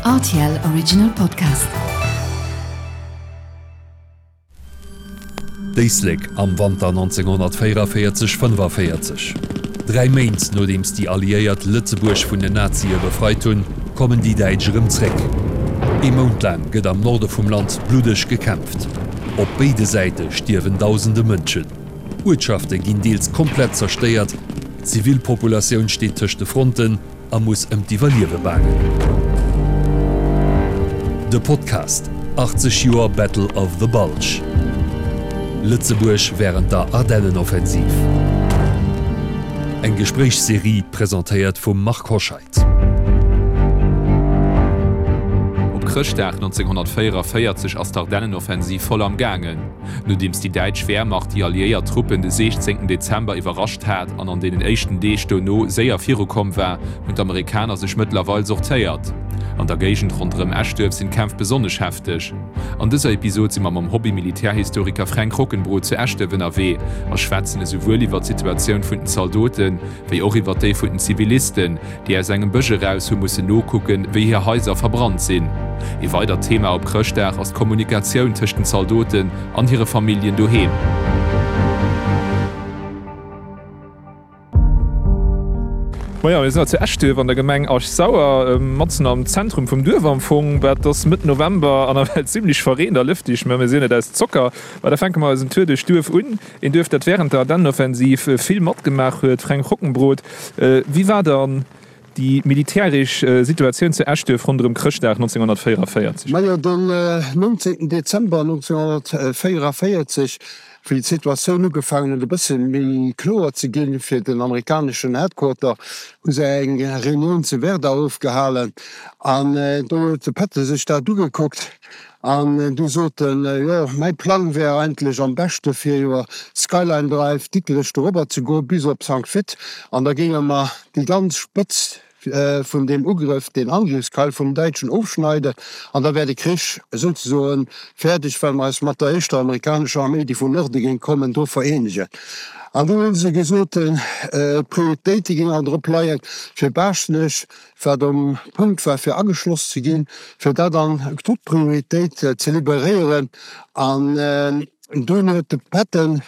Rtl Original Podcast. D'Éislek am Wanter 1944, 45. Dräi Méint nodeems déi Alliéiert Lëtzebuerg vun den Nazie befreit hunn, kommen déi Däitsch erëm zréck. Ee Mount laang gëtt am Norde vum Land bluddeg gekämpft. Op béide Säite stierwen dausende Mënschen. Uertschafte ginn deels komplett zerstéiert, d'Zivilpopulatioun steet tëscht de Fronten a muss ëm d'Iwwerliewe baangen. De Podcast 80 Joer Battle of the Bulge, Lëtzebuerg wärend der Ardennenoffensiv. Eng Gespréichsserie presentéiert vum Marc Hoscheid. Op Chrëschtdag 1944 ass d'Ardennenoffensiv voll am gaangen. Nodeems déi däitsch Wehrmacht déi alliéiert Truppen de 16 Dezember iwwerrascht hat an an deenen éischten Deeg dono séier virukomm war, hunn d'Amerikaner sech mëttlerweil sortéiert. An der Géigend ronderëm Eschduerf sinn d'Kämpf besonnesch hefteg. An dëser Episod si mer mam Hobby-Militärhistoriker Fränk Rockenbrod zu Eschduerf ënnerwee a schwätzen esouwuel iwwer d'Situatioun vun den Zaldoten, wéi och iwwer déi vun den Zivilisten, déi aus engem Bësch eraus hu mussen nokucken, wéi hir Haiser verbrannt sinn. Ee weidert Thema op Chrëschtdag ass d'Kommunikatioun tëscht den Zaldoten an hire Familljen doheem. Majo, mir sinn haut zu Eschduerf an der Gemeng Esch-Sauer, matzen am Zentrum vum Duerf am Fong. Et ass Mëtt November an nawell zimmlech verreent a lëfteg, mä mir sinn net aus Zocker. Ma da fänke mer eisen Tour duerch d'Duerf un. Een Duerf, dat wärend der Ardennenoffensiv vill matgemaach huet. Fränk Rockenbrod, wéi war dann déi militäresch Situatioun zu Eschduerf ronderëm Chrëschtdag 1944? Majo, den 19 Dezember 1944, wéi d'Situatioun ugefaangen huet e bësse méi kloer ze ginn fir den amerikaneschen Headquarter, hu se eng Reunioun zu Werder ofgehalen an do huet de Patton sech dat ugekuckt An du sot en, Jo, mäi Plang wär eigentlech am beschte fir iwwer Skyline Drive Dikrech dorobber ze goe bis op Sankt Vith, an da géinge mer déi ganz Spëtzt vun deem Ugrëff, deen Angriffskeil vum Däitschen ofschneiden, an da wär de Krich souzesoe fäerdeg, well mer eis mat der éischter amerikanescher Arméi, déi vun Norde géing kommen, do vereenegen. An du hu se gesot, d'Prioritéite géingen drop leien, fir Baaschtnech wat um Punkt war fir ageschloss ze ginn, fir dat an Top-Prioritéit ze liberéieren. An dunn huet de Patton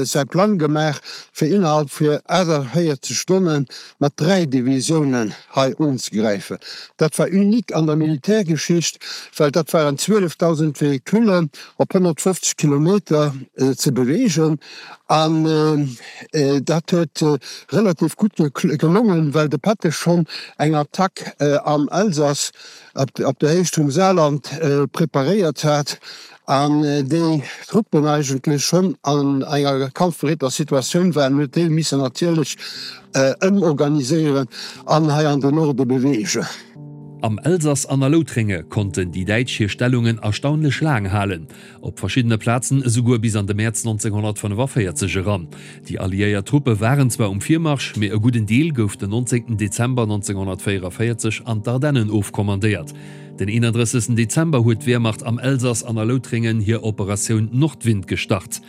säi Plang gemaach, fir innerhalb vu 48 Stonne mat 3 Divisiounen hei unzegräifen. Dat war unique an der Militärgeschicht, well dat waren 12.000 Véhiculen op 150 Kilometer ze beweegen. An dat huet relativ gutt gelongen, well de Patton schonn eng Attack am Elsass op der Héicht vum Saarland preparéiert hat an déi Truppen eigentlech schonn an enger kampfbereeter Situatioun waren, huet déi missen natierlech ëmorganiséieren an hei an den Norde beweegen. Am Elsass an a Loutrénge konnten déi Däitsch hir Stellungen erstaunlech laang halen. Op verschiddene Plazen esouguer bis an de Mäerz 1945 eran. Déi alliéiert Truppe waren zwar um Virmarsch, mee e gudden Deel gouf den 19 Dezember 1944 an d'Ardennen ofkommandéiert. Den 31 Dezember huet d'Wehrmacht am Elsass an a Loutréngen hir Operatioun Nordwind gestart.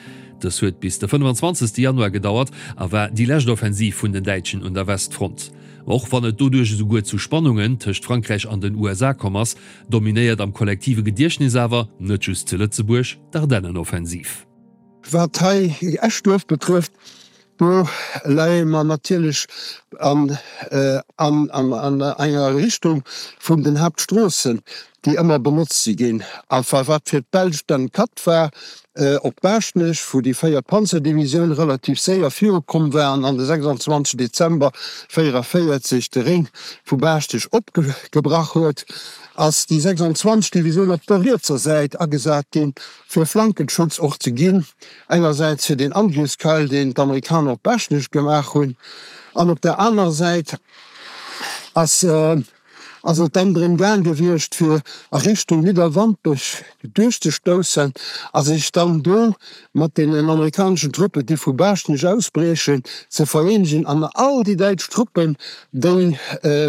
Dës huet bis de 25 Januar gedauert a war déi lescht Offensiv vun den Däitschen un der Westfront. Och wann et doduerch esouguer zu Spannungen tëscht Frankräich an den USA komm ass, Dominéiert am kollektive Gediechtnes awer, net just zu Lëtzebuerg, d'Ardennenoffensiv. Wat hei Eschduerf betrëfft, do leie mer natierlech an enger Richtung vun den Haaptstroossen, déi ëmmer benotzt si ginn. A wat fir d'Belsch dann Cut war, Op Baaschtnech, wou déi véiert Panzerdivisioun relativ séier virukomm war an de 26 Dezember 44 de Réng vu Baaschtnech opgebrach huet, ass déi 26. Divisioun op der rietser Säit agesat ginn, fir Flankenschutz och ze ginn, engersäits fir den Angriffskeil, deen d'Amerikaner op Baaschtnech gemaach hunn, an op der anerer Säit ass ass et dann drëm gaang gewiescht fir a Richtung Nidderwampech duerchzestoussen a sech dann do mat deenen amerikaneschen Truppen, déi vu Baaschtnech ausbriechen, ze vereenegen an all déi däitsch Truppen, déi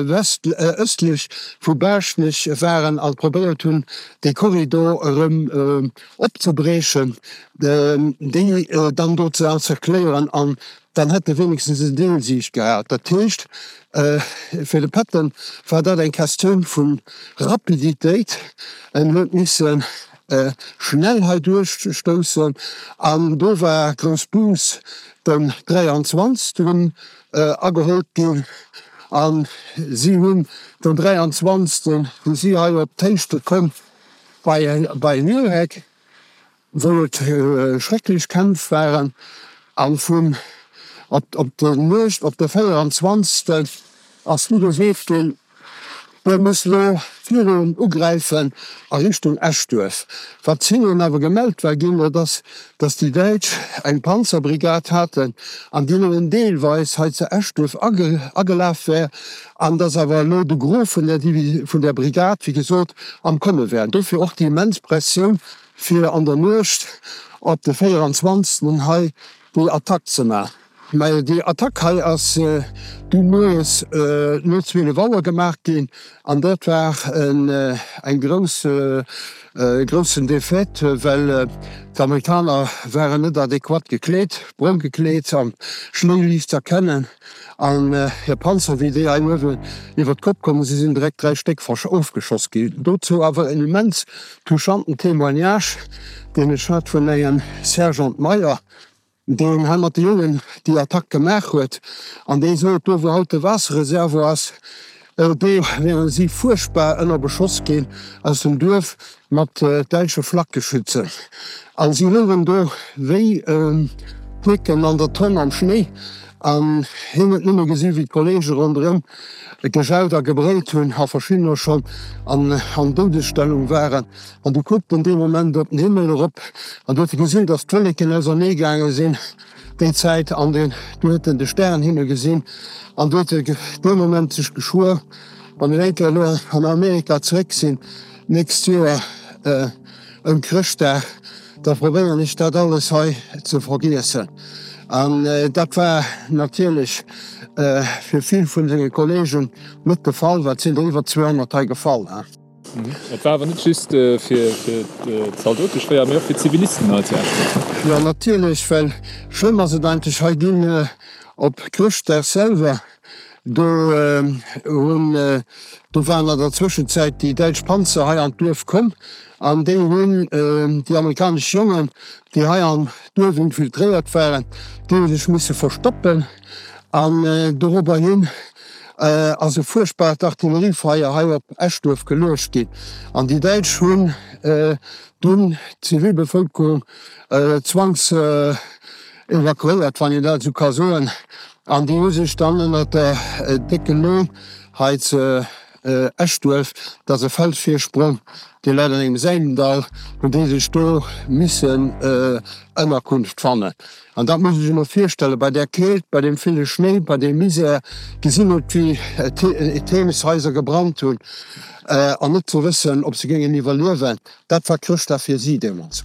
west ëstlech vu Baaschtnech waren a probéiert hunn, dee Korridor erëm opzebriechen, déi dann do ze encercléieren an. Dann hätt e wéinegstens en Deelsieg gehat. Dat heescht, fir de Patton war dat eng Questioun vu Rapiditéit. En huet misse schnell hei duerchstoussen an do war Groussbus den 23. Ageholt ginn. A si hunn den 23. si si hei op d'Héichte komm bei Nürheck. Wou et schrecklech Kämpf waren, a vun op der Nuecht op de 24. Ass du gesot ginn, Mir mussen elo virun ugräifen a Richtung Eschduerf. Wat hinnen awer gemellt war ginn, dat ass, datt déi Däitsch eng Panzerbrigad haten an déi nëmmen deelweis hei zu Eschduerf agelaf wär, an datt awer elo de Gros vun der vun der Brigad, wéi gesot, am Komme wär. Dofir och déi immens Pressioun, fir an der Nuecht op de 24. Hei déi Attack ze maachen. Mä déi Attack hei ass du moies no 12 Auer gemaach ginn an dat war eng grouss, e groussen Défaite, well d'Amerikaner waren net adequat gekleet, brong gekleet, am Schnéi liicht z'erkennen. An hir Panzer, wéi déi hei uewen iwwer d'Kopp kommen si sinn direkt 3 Stéck ofgeschoss ginn. Dozou awer en immens touchanten Témoignage, deen ech hat vun engem Sergeant Meyer, deen hei mat de Jongen déi Attack gemaach huet, an dee sot, do wou haut de Waasserreservoir ass, do wären si fuerchtbar ënner Beschoss ginn aus dem Duerf mat däitsche Flakgeschützen. A si louchen do wéi Picken an der Tonn am Schnéi. An hien huet nëmme gesi wéi d'Kollege ronderëm gejaut a gebrëllt hunn a verschiddener schonn an Doudesstellung waren. An du kuckt en dee Moment op den Himmel erop an du huet e gesinn, datt d'Wolleken ausernee gaange sinn déi Zäit an du huet en de Stärenhimmel gesinn an du huet e dee Moment sech geschwuer, Wann ech eng Kéier elo an Amerika zeréck sinn d'nächst Joer ëm Chrëschtdag, da probéieren ech dat alles hei ze vergiessen. An dat war natierlech fir vill vun senge Kollegen net de Fall, well et sinn der iwwer 200 hei gefall. Et war awer net just fir d'Zaldote schwéier, mee och fir d'Zivilisten hei zu Esch. Jo natierlech, well schlëmm ass et eigentlech hei ginn op Chrëschtdag selwer. Do hunn, do waren an der Zwëschenzäit déi däitsch Panzer hei an d'Duerf komm an déi hunn déi amerikanesch Jongen, déi hei am Duerf infiltréiert waren, déi hu sech misse verstoppen an dorobber hin ass e fuerchtbart Artilleriefeier hei op Eschduerf geluecht ginn an déi Däitsch hunn dunn d'Zivilbevëlkerung zwangs Evakuéiert, wann een dat esou ka soen, an déi hu sech dann ënnert der décken Lo hei zu Eschduerf, dat ass e Felsvirsprong, dee läit an engem Säimendall, hunn déi sech do missen Ënnerkunft fannen. An dat muss ee sech emol virstellen, bei där Keelt, bei deem ville Schnéi, bei deem Misär, gesinn huet, wéi d'Heemeshaiser gebrannt hunn, an net ze wëssen, ob se géingen iwwerliewen. Dat war Chrëschtdag fir si deemools.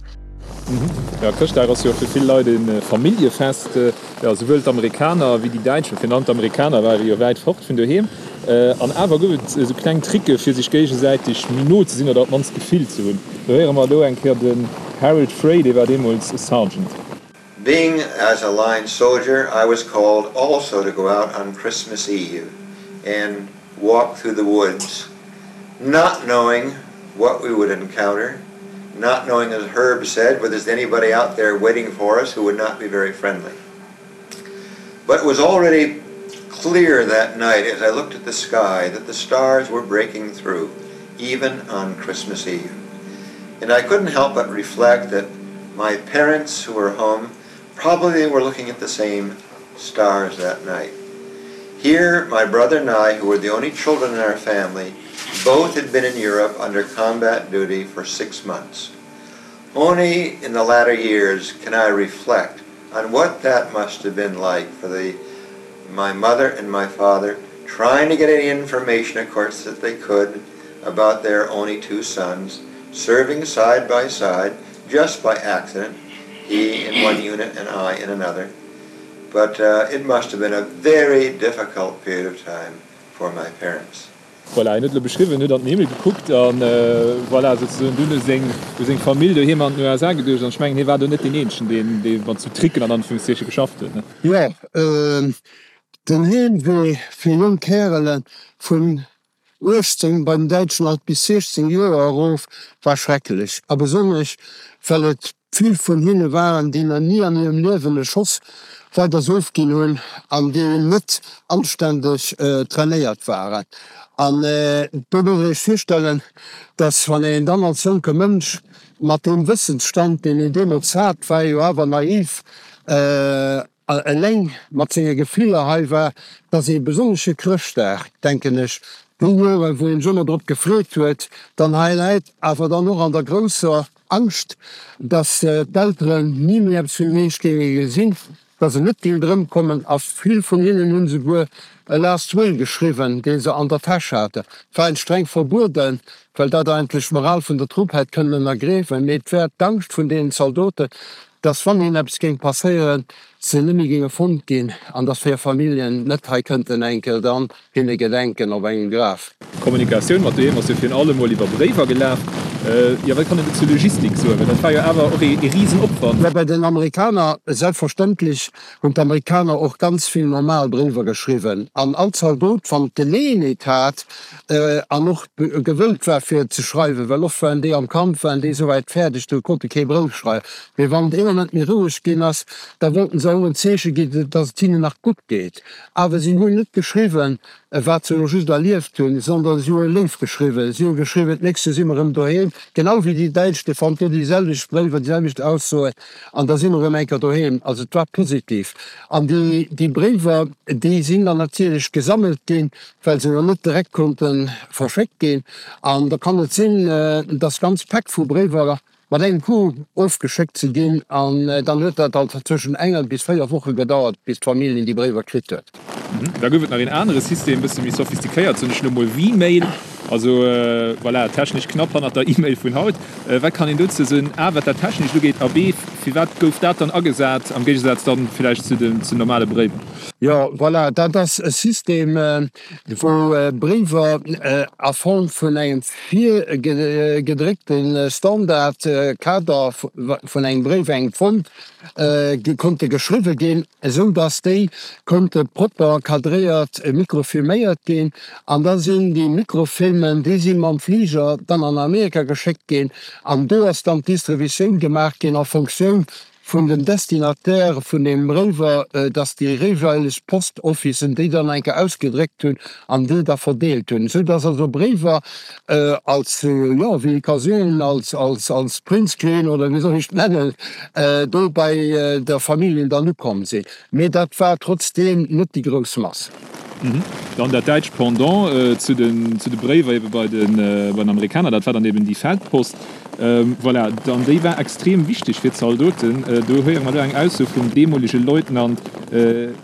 Jo, Chrëschtdag ass jo fir vill Leit e Familljefest. Jo, souwuel d'Amerikaner wéi déi Däitsch, virun allem d'Amerikaner ware jo wäit fort vun doheem. An awer gouf et esou kleng Tricke fir sech géigesäiteg méi no ze sinn oder op d'mannst d'Gefill ze hunn. Do héiere mer elo eng Kéier den Harold Frey, dee war deemools e Sergeant. Being as a line soldier, I was called also to go out on Christmas Eve and walk through the woods, not knowing what we would encounter, not knowing, as Herb said, whether there's anybody out there waiting for us who would not be very friendly. But it was already clear that night as I looked at the sky that the stars were breaking through, even on Christmas Eve. And I couldn't help but reflect that my parents who were home probably were looking at the same stars that night. Here, my brother and I, who were the only children in our family, both had been in Europe under combat duty for six months. Only in the latter years can I reflect on what that must have been like for the my mother and my father trying to get any information, of course, that they could about their only two sons, serving side by side, just by accident, he in one unit and I in another. But uh, it must have been a very difficult period of time for my parents. Voilà, hien huet elo beschriwwen, huet an den Himmel gekuckt an voilà, souzesoen dunn u seng, u seng Famill doheem an den USA geduecht. An ech mengen, hie war do net deen Eenzegen, deen, dee mat sou Tricken an Anführungszeichen geschafft huet, ne? Jo, den Heemwee fir jonk Kärele vun 18, bei den Däitschen alt bis 16 Joer erof, war schrecklech. A besonnesch, well et vill vun hinne waren, déi nach ni an hirem Liewen e Schoss weiders ofginn hunn an déi net anständeg trainéiert waren. An do muss een sech virstellen, dass wann een dann als jonke Mënsch mat deem Wëssensstand, deen een deemools hat, war ee jo awer naiv, eleng mat senge Gefiller hei war, dass ee besonnesche Chrëschtdag, denken ech, déi Joren, wou een sech ëmmer drop gefreet huet, dann hei läit, awer dann och an der grousser Angscht, dass d'Elteren ni méi eppes vun hinne géinge gesinn, dass se net géint erëmkommen, a vill vun hinnen hunn esouguer e Last Will geschriwwen, dee se an der Täsch haten. Et war hinnen streng verbueden, well dat eigentlech d'Moral vun der Trupp hätt kënnen ënnergräfen, mee et war d'Angscht vun deenen Zaldoten, dass wann hinnen eppes géing passéieren, se net méi géinge fonnt ginn an dass hir Familljen net hei kënnten eng Kéier dann hinne gedenken op engem Graf. D'Kommunikatioun mat doheem ass jo virun allem mol iwwer Bréiwer gelaf. Jo, wat kann een do zur Logistik soen? Well dat war jo awer och ee Risenopwand. Jo, bei den Amerikaner, selbstverständlech hunn d'Amerikaner och ganz vill normal Bréiwer geschriwwen. An all Zaldot, wann d'Geleeënheet hat an och gewëllt war fir ze schreiwen, well oft waren déi am Kampf, waren déi esouwäit fäerdeg, do konnt e kee Brouf schreiwen. Mee wann et eemol net méi roueg ginn ass, da wollten se och en Zeeche ginn, dass et hinnen nach gutt geet. Awer si hunn net geschriwwen, wat se elo just erlieft hunn, sondern si hu e Léif geschriwwen. Si hu geschriwwen, D'nächst Joer si mer erëm doheem, genau wéi déi Däitsch, déi fannt Dir déi selwecht Bréiwer, déi selwecht Aussoen, an da si mer erëm eng Kéier doheem. Also et war positiv. An déi, déi Bréiwer, déi sinn dann natierlech gesammelt ginn, well se jo net direkt konnte verschéckt ginn. An da kann et sinn, dass ganz Päck vu Bréiwer mat engem Coup ofgeschéckt ze ginn an dann huet dat alt zwëschen enger bis 4 Woche gedauert, bis d'Familljen déi Bréiwer kritt huet. Da gouf et nach een anere System, e bësse méi sophistiquéiert, soen ech elo mol, Vmail, also voilà, technesch knapp hannert der E-Mail vun haut. Wat kann een dozou soen, a wat dat Technescht ugeet a b firwat gouf dat dann agesat am Géigesaz dann villäicht zu den zu normale Bréiwer? Jo, voilà, dat ass e System, wou Bréiwer a Form vun engem virgedréckte Standardkader vun engem Bréif, engem Fond, konnte geschriwwe ginn, esou datt déi konnte propper kadréiert mikrofilméiert ginn. An da sinn déi Mikrofilmen, déi si mam Fliger dann an Amerika geschéckt ginn an do ass dann d'Distributioun gemaach ginn a Fonctioun vun den Destinataire vun deem Bréiwer, dass déi jeeweileg Post-Officen déi dann eng Kéier ausgedréckt hunn an déi da verdeelt hunn, esou dass also Bréiwer als, jo, wéi ee ka soen, als, als, als Printscreen oder wéi soll ech et nennen, do bei der Familljen dann ukomm sinn. Mee dat war trotzdeem net déi grouss Mass. Dann dat däitscht Pendant zu den, zu de Bréiwer ebe bei den, bei den Amerikaner, dat war dann eben déi Feldpost. Voilà, an déi war extrem wichteg fir d'Zaldoten. Do héiere mer elo eng Ausso vum deemolege Leutnant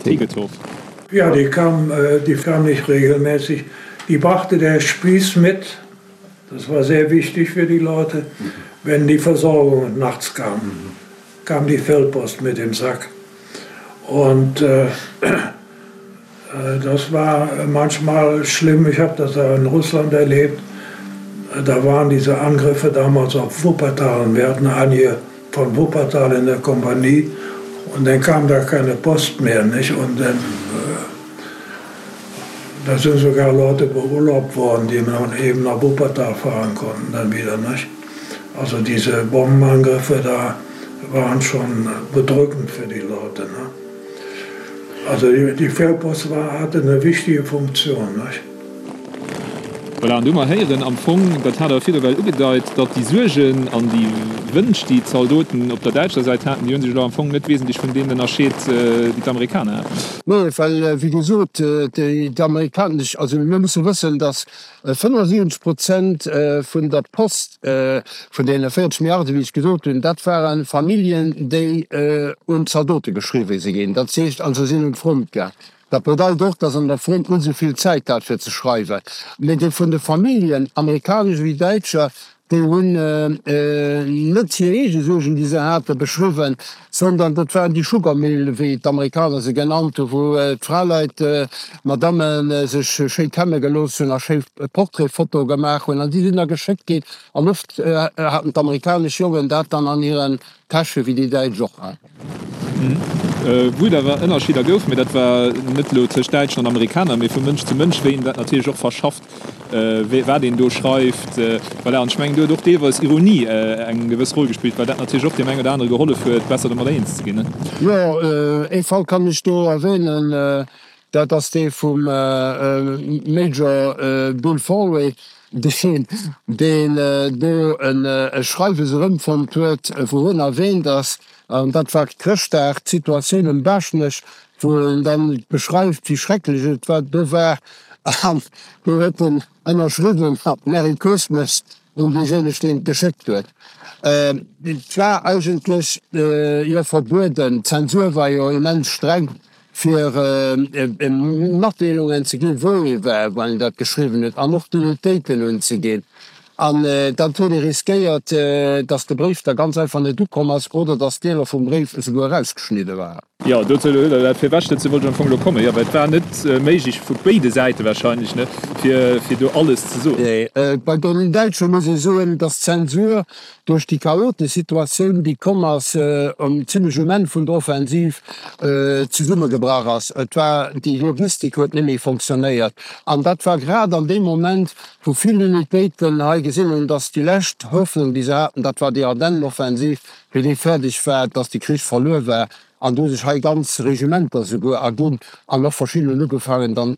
Tegethoff. Ja, die kam, die kam nicht regelmäßig. Die brachte der Spieß mit, das war sehr wichtig für die Leute, wenn die Versorgung nachts kam, kam die Feldpost mit dem Sack. Und äh, Das war manchmal schlimm. Ich habe das in Russland erlebt. Da waren diese Angriffe damals auf Wuppertal und wir hatten einige von Wuppertal in der Kompanie und dann kam da keine Post mehr nicht und dann da sind sogar Leute beurlaubt worden, die man eben nach Wuppertal fahren konnten dann wieder nicht. Also diese Bombenangriffe da waren schon bedrückend für die Leute ne. Also déi Feldpost war, hat eng wichtige Funktion, nicht? Voilà, an do mer héieren am Fong, dat hat Der virdru well ugedeit, datt déi Suergen an déi Wënsch, déi d'Zaldoten op der däitscher Säit haten, déi hu sech elo am Fong net wesentlech vun deenen ënnerscheet, déi d'Amerikaner haten. Nee, well, wéi gesot, déi amerikanesch, also mir musse wëssen, datt 75 Prozent vun der Post, vun deene 40 Milliarden, wéi ech gesot hunn, dat ware Familljen, déi un d'Zaldote geschriwwe si ginn. Dat heescht also, si sinn un d'Front gaang. Dat bedeit och, datt an der Front net esou vill Zäit hat fir ze schreiwen. Mee déi vun de Familljen, amerikanesch ewéi däitscher, Déi hunn net hir eege Suergen, déi se hate, beschriwwen, sondern dat waren déi Sugar Mill, wéi d'Amerikaner se genannt hunn, wou d'Fraleit, d'Madammen sech schéi kämme gelooss hunn a schéi Portrait-Fotoe gemaach hunn. An déi sinn da geschéckt ginn. An oft haten d'amerikanesch Jongen dat dann an hiren Täsche wéi déi däitsch och. Wou et awer Ënnerscheeder gouf, mee dat war net elo tëscht Däitschen an Amerikaner, mee vu Mënsch zu Mënsch, wéi een dat natierlech och verschafft, wat een do schreift. Voilà, an ech mengen, do huet och deelweis Ironie eng gewëss Roll gespillt, well dat natierlech och deem eng oder anere gehollef huet, besser domat eens ze ginn. Jo, ee Fall kann ech do erwähnen, dat ass dee vum Major Bill Foley, deen do e Schreiwes erëmfonnt huet, wou hien erwähnt ass, an dat war Chrëschtdag, d'Situatioun um Baaschtnech, wou en dann beschreift, wéi schrecklech et war do war, an do huet en ënnerschriwwen mat Merry Christmas un deejéineg, deen et geschéckt huet. Et war eigentlech jo verbueden, d'Zensur war jo immens streng, fir Matdeelungen ze ginn, wou ee war, wann een dat geschriwwen huet, an och d'Unitéiten unzeginn. An dat huet ee riskéiert, datt de Bréif da ganz einfach net ukomm ass oder datt Deeler vum Bréif esouguer erausgeschnidde waren. Jo, dozou huet Der dat virwech, dozou wollt ech am Fong elo kommen. Jo, well et war net méiglech, vu béide Säite wahrscheinlech net, fir do alles ze soen. Nee, bei den Däitsche muss ee soen, datt d'Zensur duerch déi chaotesch Situatioun, déi komm ass, zimlech um Enn vun der Offensiv zesummegebrach ass. Et war, déi Logistik huet net méi fonctionnéiert. An dat war grad an deem Moment, wou vill Unitéiten hei gesinn hunn, datt déi lescht Hoffnung, déi se haten, dat war déi Ardennenoffensiv, wéi déi fäerdeg war, datt de Krich verluer war. An do hu sech hei ganz Regimenter souguer erginn an och verschidden hunn ugefaangen, dann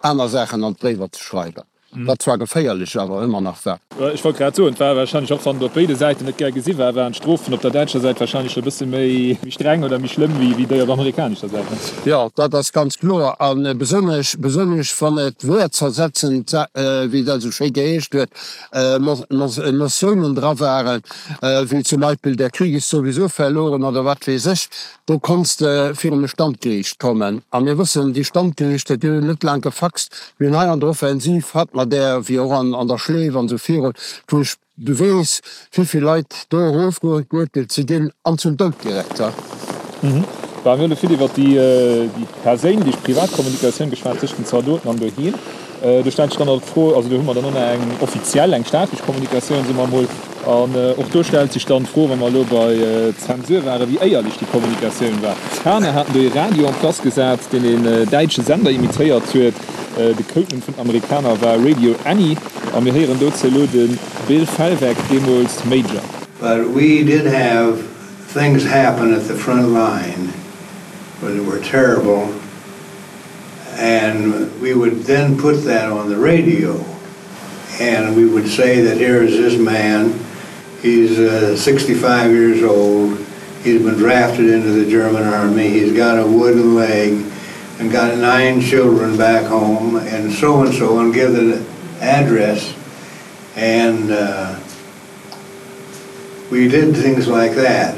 aner Saachen an d'Bréiwer ze schreiwen. Wat zwar geféierlech, awer ëmmer nach war. Ech wollt grad soen, et war warscheinlech, och wann et op béide Säiten net gär gesi war, waren d'Strofen op der däitscher Säit warscheinlech e bësse méi streng oder méi schlëmm wéi déi op amerikanescher Säit. Jo, dat ass ganz kloer. A besonnesch, besonnesch wann et wäertzersetzend, wéi dat esou schéi geheescht huet, Notiounen dra waren, wéi zum Beispill der Krieg ist sowieso verloren oder wat weess ech, Do konns de virun e Standgeriicht kommen. A mir wëssen, déi Standgeriichter, déi hunn net laang gefaxt. Mir hunn hei an der Offensiv, hat mer där, wéi och an der Schleef an esou virun, wou ech weess, wéivill Leit do erofgeuerteelt si ginn an zum Doud direkt. Bon, mir hunn elo vill iwwer déi perséinlech, privat Kommunikatioun geschwat tëscht den Zaldoten an doheem. Do stellt sech dann och d'Fro, also do hu mer dann och nach eng offiziell, eng staatlech Kommunikatioun, soe mer emol, an och do stellt sech dann d'Fro, wa mer elo bei Zensur waren, wéi éierlech déi Kommunikatioun war. D'Amerikaner haten do ee Radio en place gesat, deen een däitsche Sender imitéiert huet. De Codenumm vun den Amerikaner war Radio Annie a mir héieren dozou elo de Bill Felweck, deemools Major. But we did have things happen at the front line that were terrible. And we would then put that on the radio and we would say that here is this man, he's uh, 65 years old, he's been drafted into the German army, he's got a wooden leg and got nine children back home and so and so and give the address and uh, We did things like that.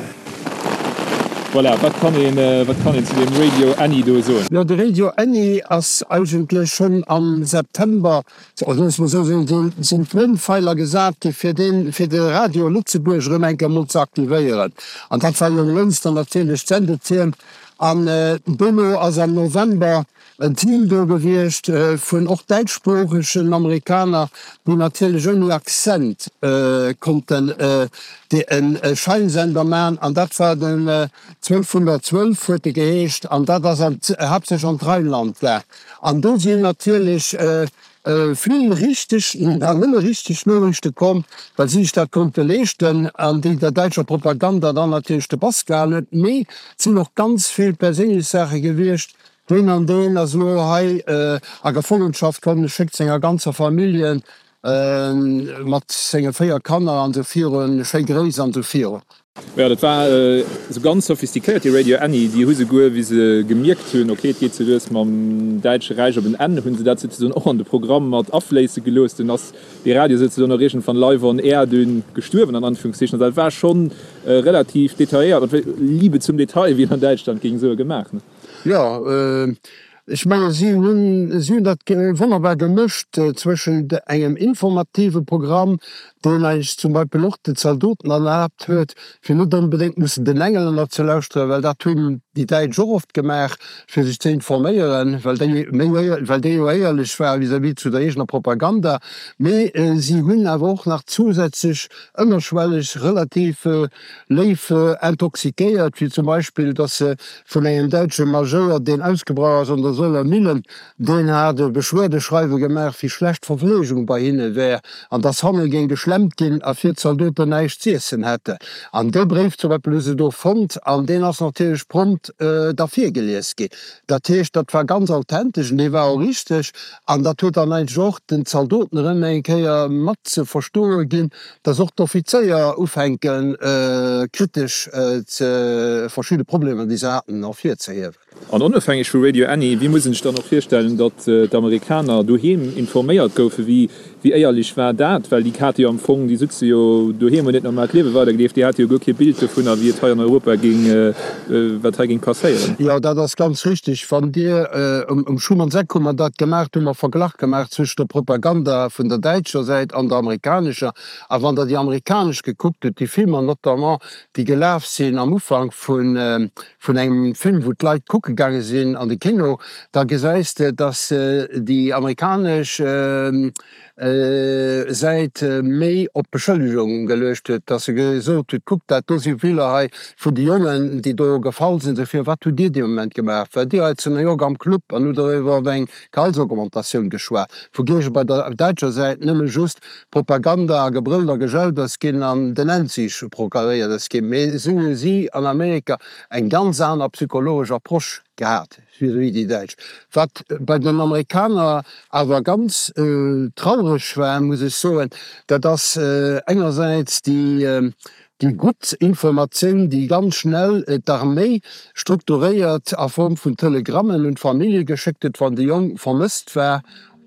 Voilà, wat kann een, wat kann een zu deem Radio Annie do soen? Jo, de Radio Annie ass eigentlech schonn am September, oder loosse mer esou soen, sinn d'Grondfeiler gesat gi fir deen, fir de Radio Lëtzebuerg erëm eng Kéier emol ze aktivéieren. An dat war jo Jonglënster natierlech d'Sendetierm. An dono ass am November En Team do gewiescht vun och däitschsproochegen Amerikaner, déi natierlech ouni Accent konnten e Scheinsender man, an dat war den 1212 huet e geheescht, an dat ass haaptsächlech an d'Rheinland gaang. An do sinn natierlech vill richteg, an nëmme richteg Noriichte komm, well si sech dat konnte leeschten, an déi der däitscher Propaganda dann natierlech de Bass gehalen huet. Mee et sinn och ganz vill perséinlech Saache gewiescht, Deen an deen ass elo hei a Gefongenschaft komm, schéckt senger ganzer Familljen mat senge 4 Kanner an esou virun schéi Gréiss an esou virun. Jo, dat war esou ganz sophistiquéiert, déi Radio Annie. Déi hu souguer, wéi se gemierkt hunn, ok, et geet sou lues mam Däitsche Räich op en Enn, hu se dat souzesoen och an de Programm mat afléisse gelooss. Dunn ass dee Radio souzesoen och iergendwann live on air dunn gestuerwen, an Anführungszeichen. Also dat war schonn relativ detailléiert, mat Liebe zum Detail, wéi een an Däitschland géing soen, gemaach. Jo, Ech menge si hunn, si hunn dat wonnerbar gemëscht zwëschent engem informative Programm, deen eis zum Beispill och den Zaldoten erlaabt huet, fir net onbedéngt mussen den Englänner ze lauschteren, well dat hunn déi Däitsch och oft gemaach, fir sech ze informéieren, well déi méi, well déi jo éierlech ware vis-à-vis zu der eegener Propaganda. Mee si hunn awer och nach zusätzlech ënnerschwelleg relativ léif intoxiquéiert, wéi zum Beispill, datt se vun engem däitsche Majouer, deen ausgebrach ass an der Soler Millen, Deen hat e Beschwerdeschreiwe gemaach, wéi schlecht d'Verfleegung bei hinne wär an dass hanne géing geschlemmt ginn a fir d'Zaldoten näischt z'iessen hätte. An dee Bréif zum Beispill hu se do fonnt an deen ass natierlech prompt da virgelies ginn. Dat heescht, dat war ganz authentesch an dee war och richteg an dat huet dann eigentlech och den Zaldoten erëm eng Kéier mat ze verstoe ginn, dass och d'Offizéier ufänke kritesch ze verschidde Problemer, déi se haten, ervirzehiewen. An onofhängeg vu Radio Annie, wéi muss een sech dann och virstellen, datt d'Amerikaner doheem informéiert goufen? Wéi éierlech war dat? Well déi hate jo am Fong, déi sutze jo doheem, hunn hiert normaalt Liewe weidergelieft, déi hate jo guer kee Bild dovunner, wéi et hei an Europa géing, wat hei géing passéieren. Jo, dat ass ganz richtig. Wann Dir, um Schumannseck hu mer dat gemaach, do hu mer Verglach gemaach zwëschent der Propaganda vun der däitscher Säit an der amerikanescher. A wann Der déi amerikanesch gekuckt hutt, déi Filmer notamment, déi gelaf sinn am Ufank vun, vun engem Film, wou d'Leit kucke gaange sinn an de Kino, da gesäis de, dass déi amerikanesch Säit méi op Beschëllegung geluecht huet, dass se gesot huet, kuckt, dat do si Biller hei vun de Jongen, déi do gefall sinn, dofir, wat hutt Dir dee Moment gemaach? Waart Dir hei zu New York am Club an hutt der iwwer eng Gehaltsaugmentatioun geschwat? Wougéige bei der däitscher Säit nëmme just Propaganda a Gebrëllt a Gejaut ass ginn an den Endsieg proklaméiert ass ginn, mee esou hu si an Amerika eng ganz aner psychologesch Approche gehat vis-à-vis déi Däitsch. Wat bei den Amerikaner awer ganz traureg war, muss ech soen, dat ass engersäits déi déi gutt Informatioun, déi ganz schnell d'Arméi strukturéiert a Form vun Telegrammen un d'Famillje geschéckt huet, wann de Jong vermësst war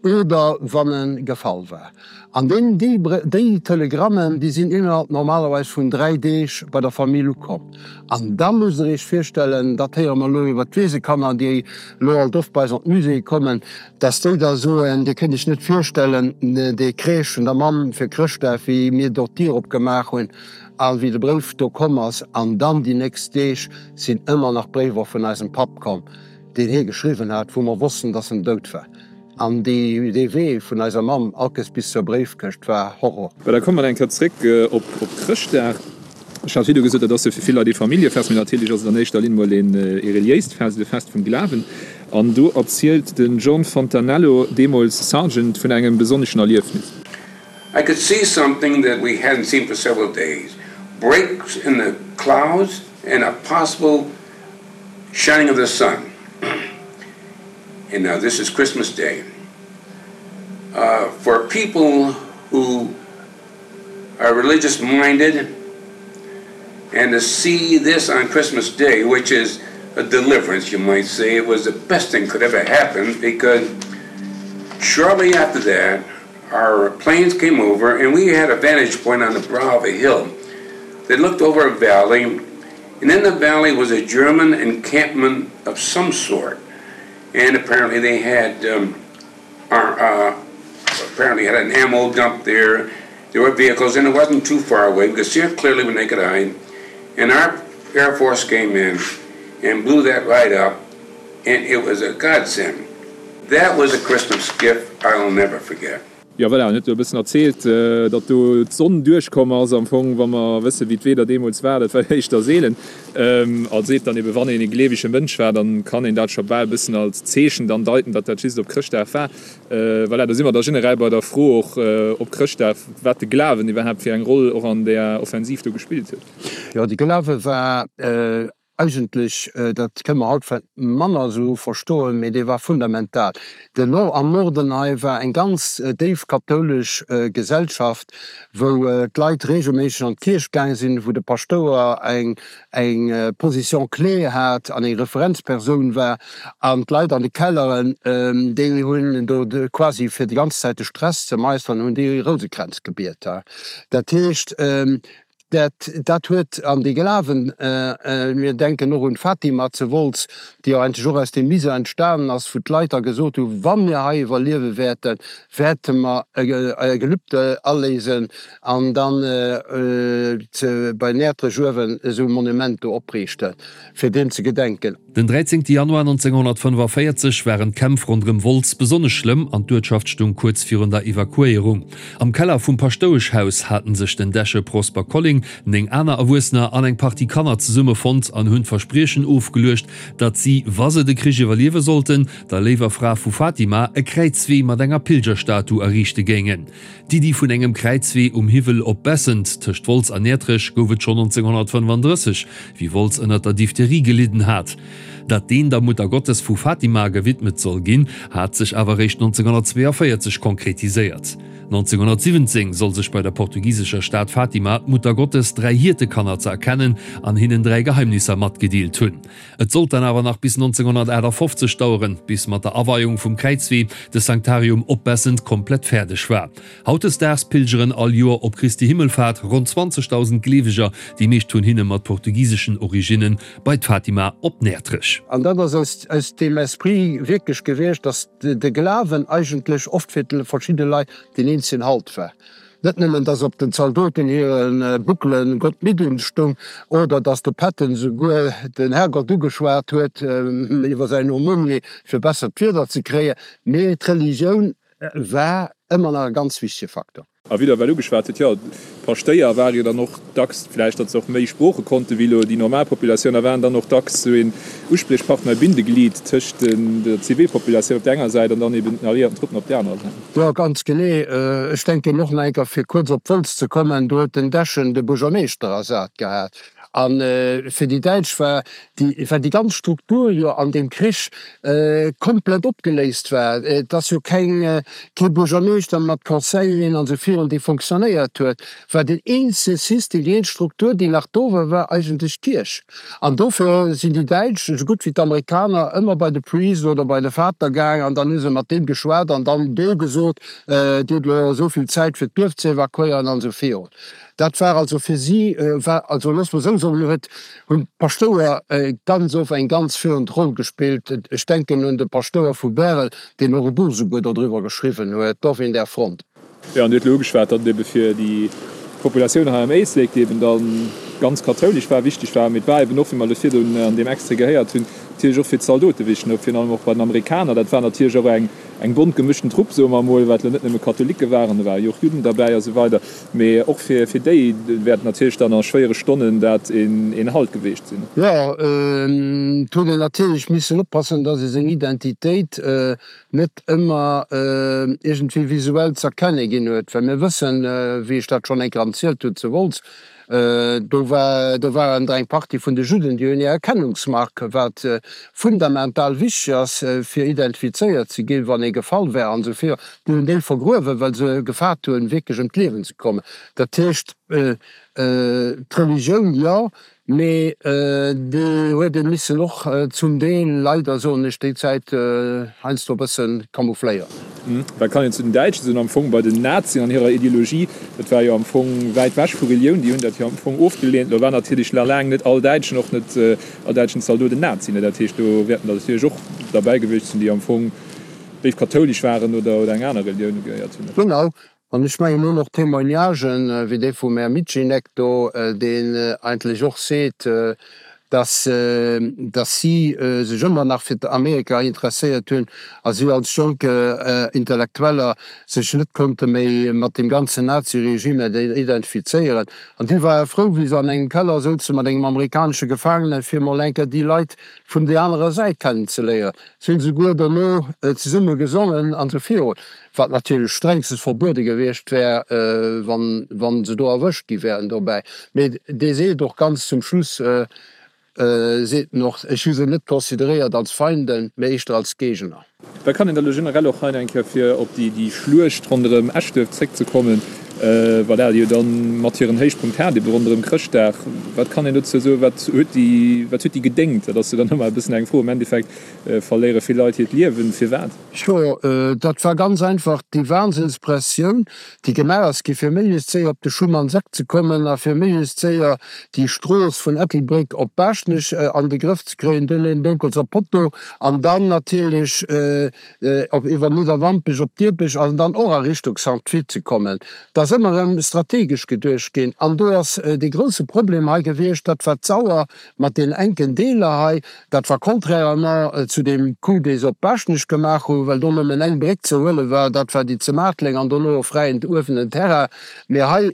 oder wann e gefall war. An deen, déi, déi Telegrammen, déi sinn innerhalb normalerweis vun 3 Deeg bei der Famill ukomm. An da musst Der Iech virstellen, dat héiere mer elo iwwert d'Weesekanner, déi elo alt oft bei eis an d'Muséeë kommen, dass déi da soen, Dir kënnt Iech net virstellen, dee Kreesch vun der Mamm fir Chrëschtdag, wéi mir do d'Dier opgemaach hunn a wéi de Bréif do komm ass. An dann déi nächst Deeg sinn ëmmer nach Bréiwer vun eisem Papp komm, deen hie geschriwwen hat, wou mer wossten, dass en dout war. An dee Wee vun eiser Mamm alkes bis zur Bréifkëscht war Horror. Bah, da komme mer eng Kéier zréck op Chrëschtdag. Ech hat virdu gesot, dat ass jo fir vill Leit ee Familljefest, mee natierlech ass et an éischter Linn mol ee reliéist Fest, e Fest vum Glawen. An do erzielt den John Fontanello, deemools Sergeant, vun engem besonneschen Erliefnis. I could see something that we hadn't seen for several days, breaks in the clouds and a possible shining of the sun. And now this is Christmas Day. Uh, for people who are religious minded and to see this on Christmas Day, which is a deliverance, you might say, it was the best thing could ever happen because shortly after that, our planes came over and we had a vantage point on the brow of a hill that looked over a valley, and in the valley was a German encampment of some sort. And apparently they had um, our, uh, apparently had an ammo dump there. There were vehicles, and it wasn't too far away. We could see it clearly with naked eye. And our Air Force came in and blew that right up, and it was a godsend. That was a Christmas gift I'll never forget. Jo voilà, en huet do e bëssen erzielt, datt do d'Sonn duerchkomm ass. Am Fong, wa mer wëssen, wéi d'Wieder deemools war, dat war jo éischter seelen. A seet dann ebe, wann een e gleewege Mënsch war, dann kann een dat scho bal e bëssen als Zeechen dann deiten, datt dat just op Chrëschtdag war. Voilà, do si mer da generell bei der Fro och op Chrëschtdag, wat de Glawen iwwerhaapt fir eng Roll och an där Offensiv do gespillt huet. Jo, de Glawe war Eigentlech, dat kënne mer haut vläicht manner esou verstoen, mee dee war fundamental. Den Nor am Norden hei war eng ganz déif kathoulesch Gesellschaft, wou d'Leit regelméisseg an d'Kierch gaang sinn, wou de Paschtouer eng eng Position clé hat an eng Referenzpersoun war. An d'Leit an de Kelleren, déi hunn do quasi fir déi ganz Zäit de Stress ze meisteren, hunn déi Rousekränz gebiet. Dat heescht. Dat, dat huet an dee Glawen, mir denken och un d'Fatima zu Wolz, déi jo eigentlech och aus deem Misär entstanen ass, wou d'Leit da gesot hu, wa mir hei iwwerliewe wäerten, wäerte mer e Gelübde aléisen an dann bei Näertrech uewen esou e Monument do opriichten, fir deem ze gedenken. Den 13 Januar 1945 waren d'Kämpf ronderëm Wolz besonnesch schlëmm an d'Uertschaft stung kuerz virun der Evakuéierung. Am Keller vum Paschtoueschhaus haten sech den Deche Prosper Colling, 9 aner Erwuessener an eng Partie Kanner zesummefonnt an hunn d'Verspriechen ofgeluecht, datt si, wa se de Krich iwwerliewe sollten, der Léiwer Fra vu Fatima e Kräizwee mat enger Pilgerstatu erriichte géingen. D'Iddi vun engem Kräizwee um Hiwwel op Bessent, tëscht Wolz an Näertrech, gouf et schonn 1935, wéi Wolz ënner der Diphtherie gelidden hat. Datt deen der Muttergottes vu Fatima gewidmet soll ginn, hat sech awer eréischt 1942 konkretiséiert. 1917 soll sech bei der portugisescher Stad Fatima d'Muttergottes dräi Hiertekanner ze erkennen an hinnen dräi Geheimnisser matgedeelt hunn. Et sollt dann awer nach bis 1958 daueren, bis mat der Aweiung vum Kräizwee de Sanctarium op Bessent komplett fäerdeg war. Hautdesdaags pilgeren all Joer op Christi Himmelfahrt ronn 20.000 Gleeweger, déi meescht vun hinne mat portugiseschen Originnen, bei d'Fatima op Näertrech. An dat ass aus deem Esprit wierklech gewiescht, dass de Glawen eigentlech oft fir verschidde Leit deen eenzegen Halt war. Net nëmmen, dass op den Zaldoten hire Buckelen Gott mit uns stung, oder dass de Patton souguer den Herrgott ugeschwat huet iwwer säin Aumônier, fir bessert Wieder ze kréien, mee d'Religioun war ëmmer nach e ganz wichtege Faktor. A wéi Der ewell ugeschwat hutt, jo, d'Paschtéier ware jo dann och dacks, vläicht datt se och méi Sprooche konnte wéi elo déi normal Populatioun, a waren dann och dacks esou een Uspriechpartner, e Bindeglied tëscht der Zivilpopulatioun op där enger Säit an dann eben den alliéierten Truppen op där anerer Säit. Jo, ganz genee. Ech denken och nach eng Kéier, fir kuerz op Wolz ze kommen, do huet den Dechen de Buergermeeschter ersat gehat. A fir déi Däitsch war déi, well déi ganz Struktur jo an deem Krich komplett opgeléist war, et ass jo keng, kee Buergermeeschter mat Conseilleren an esou virun, dee fonctionnéiert huet, war deen eenzege System, déi eenzeg Struktur, déi nach do war, war eigentlech d'Kierch. An dofir sinn déi Däitsch, esou gutt wéi d'Amerikaner, ëmmer bei de Priest oder bei de Vater gaang an dann hu se mat deem geschwat an dann do gesot, Dir hutt elo esou vill Zäit fir d'Duerf ze evakuéieren an esou virun. Dat war also fir si, war also, loosse mer esou soen, huet, hunn d'Paschtouer ganz oft eng ganz führend Roll gespillt. Ech denken un de Paschtouer vu Bärel, deen och e Buch esouguer dodriwwer geschriwwen huet, Dorf in der Front. Jo, an Dir hutt elo ugeschwat, datt et ebe fir déi Populatioun hei am Éislek, déi eben da ganz kathoulesch war, wichteg war. Mee et war eben och, wéi mer elo virdrun an deem Extrait gehéiert hunn, natierlech och fir d'Zaldote wichteg, no virun allem och bei den Amerikaner. Dat war natierlech och eng, eng bont gemëschten Trupp, soe mer emol, wat elo net nëmme Katholike waren, do ware jo och Judden derbäi a sou weider. Mee och fir, fir déi wäert natierlech dann a schwéiere Stonnen dat een, een Halt geweecht sinn. Jo, et huet een natierlech missen oppassen, datt ee seng Identitéit net ëmmer iergendwéi visuell z'erkenne ginn huet, well mir wëssen, wéi ech dat schonn eng Kéier erzielt hunn zu Wolz, do war, do waren der eng Partie vun de Judden, déi hunn hir Erkennungsmark, wat fundamental wichteg ass, fir identifizéiert ze ginn, wann ee gefall wär an esou virun, déi hunn déi vergruewen, well se gefaart hunn, wierklech ëm d'Liewen ze kommen. Dat heescht, d'Religioun, jo, Mee déi huet ee missen och zum Deel, leider soen ech, déi Zäit heiansdo e bësse camoufléieren. Wat kann een zu den Däitschen soen? Am Fong bei den Nazien an hirer Ideologie, dat war jo am Fong wäit wech vu Relioun, déi hunn dat jo am Fong ofgeleent. Lo war natierlech nach laang net all Däitschen, och net all däitschen Zaldot en Nazi, ne? Dat heescht, do wäerten der natierlech och derbäi gewiescht sinn, déi am Fong déif kathoulesch waren oder eng aner Relioun ugehéiert hunn. Genau, An ech mengen och nach Témoignagen, wéi dee vum Här Mitschinek do, deen eigentlech och seet, dass, dass si sech ëmmer nach fir Amerika interesséiert hunn a si als jonk Intellektueller sech net konnte méi mat deem ganzen Naziregime identifizéieren. An déi ware frou, wéi se an engem Keller souze mat engem amerikanesche Gefaangenen, fir emol eng Kéier déi Leit vun déi anerer Säit kennenzeléieren. Si hunn souguer dono zesumme gesongen an esou virun. Wat natierlech strengstens verbuede gewiescht wär, wann se do erwëscht gi wären dobäi. Mee dee seet och ganz zum Schluss, seet en och, ech hu se net consideréiert als Feinden, mee éischter als Géigner. Wat kann een da elo generell och hei eng Kéier, fir op déi Schluecht ronderëm Eschduerf zréckzekommen? Voilà, déi jo dann mat hiren Héichpunkt hat, ebe ronderëm Chrëschtdag. Wat kann een dozou soen? Wat huet déi, wat huet déi gedéngt? Dat ass jo dann ëmmer e bëssen eng Fro. Am Endeffekt verléiere vill Leit hiert Liewen. Firwat? Jo, dat war ganz einfach déi Wahnsinnspressioun, déi gemaach ass gi fir méiglechst séier op de Schumann-Seck ze kommen a fir méiglechst séier déi Strooss vun Ettelbréck op Baaschtnech an de Grëff ze kréien, dunn een Donkelser Potto an dann natierlech op iwwer Nidderwampech op Diepech an dann och a Richtung Sankt Vith ze kommen. Et ass ëmmer erëm strategesch geduecht ginn an do ass dee grouse Problem hei gewiescht, dat war d'Sauer mat deenen enken Deeler hei. Dat war contrairement zu deem Coup, dee se op Baaschtnech gemaach hunn, well do nëmmen eng Bréck ze huele war, dat war déi zu Maartleng an dono e fräien uewenen Terrain. Mee hei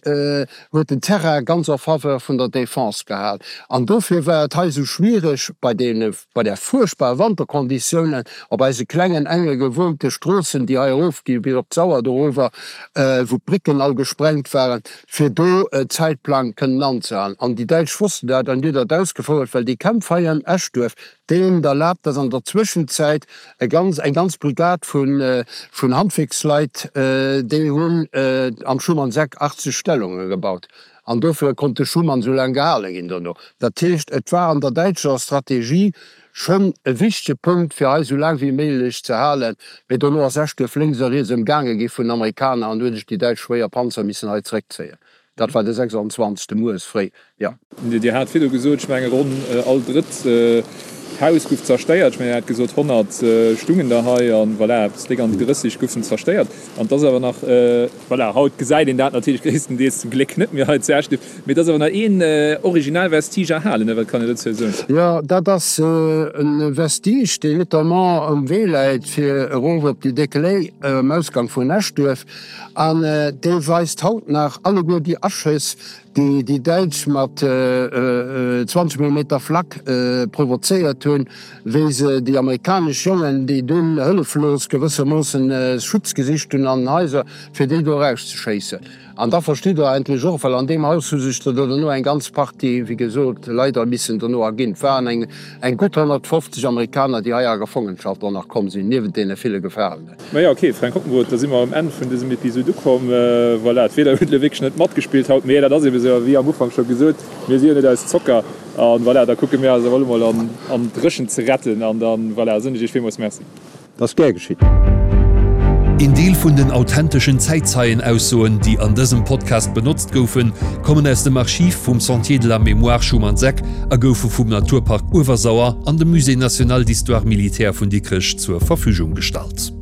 huet den Terrain ganz en faveur vun der Défense gehal an dofir war et hei esou schwiereg bei deene Bei där fuerchtbare Wanterkonditiounen op eise klengen, enge gewunnte Stroossen, déi hei erofgi bis op d'Sauer dorower, wou d'Brécken all gesprengt waren, fir do Zäitplang kënnen anzehalen. An déi Däitsch wossten dat an déi hunn dat ausgefouert, well déi Kämpf hei ëm Eschduerf, déi hunn et erlaabt, dass an der Zwëschenzäit e ganz, eng ganz Brigad vun, vun Handwierksleit, déi hunn am Schumann-Seck 80 Stellunge gebaut. An dofir konnt de Schuman esou laang gehale ginn dono. Dat heescht, et war an der däitscher Strategie schonn e wichtege Punkt, fir hei esou laang wéi méiglech ze halen. Mee dono ass Eschduerf lénks a riets ëmgaange gi vun den Amerikaner an hu sech déi däitsch schwéier Panzer missen hei zeréckzéien. Dat war de 26. Mueres fréi, jo. Dir hat virdu gesot, ech menge ronn all drëtt Haus guff zerstéiert. Ech mengen, Dir hat gesot, 100 stungen der hei an voilà, eppes déck an déi 30 guffen zerstéiert. An et ass awer nach, voilà, haut gesäit een dat natierlech gréisstendeels zum Gléck net méi hei zu Eschduerf, mee et ass awer nach een original Vestige erhalen, ne? Wat kann een dozou soen? Jo, dat ass e Vestige, deen notamment um Wee läit fir erof op déi Déck Léi um Ausgang vun Eschduerf. An dee weist haut nach alleguer déi Aschëss, déi déi Däitsch mat 20 Millimeter Flak provozéiert hunn, wéi se déi amerikanesch Jongen, déi dunn hëlleflos gewëssermoossen Schutz gesicht hunn an den Haiser, fir déi do erauszeschéissen. An da verstitt Der endlech och, well an deem Haus hu sech der dono eng ganz Partie, wéi gesot, leider missen dono erginn. Et waren eng gutt 150 Amerikaner, déi hei a Gefongenschaft och nach komm sinn, niewent deene ville Gefaangenen. Majo ok Fränk Hockenroth, da si mer um Enn vun dësem Episod ukomm. Voilà, d'Wieder huet elo wierklech net matgespillt haut, mee dat ass eben esou. A wéi am Ufank scho gesot, mir si jo net aus Zocker. An voilà, da kucke mir eis awer elo mol an an d'Dréchent ze retten. An dann, voilà, soen ech iech villmools Merci. Dat ass gär geschitt. Een Deel vun den authenteschen Zäitzeienaussoen, déi an dësem Podcast benotzt goufen, kommen aus dem Archiv vum Sentier de la Mémoire Schuman-Seck a goufe vum Naturpark Uewersauer an dem Musée national d'histoire militaire vun Dikrech zur Verfügung gestallt.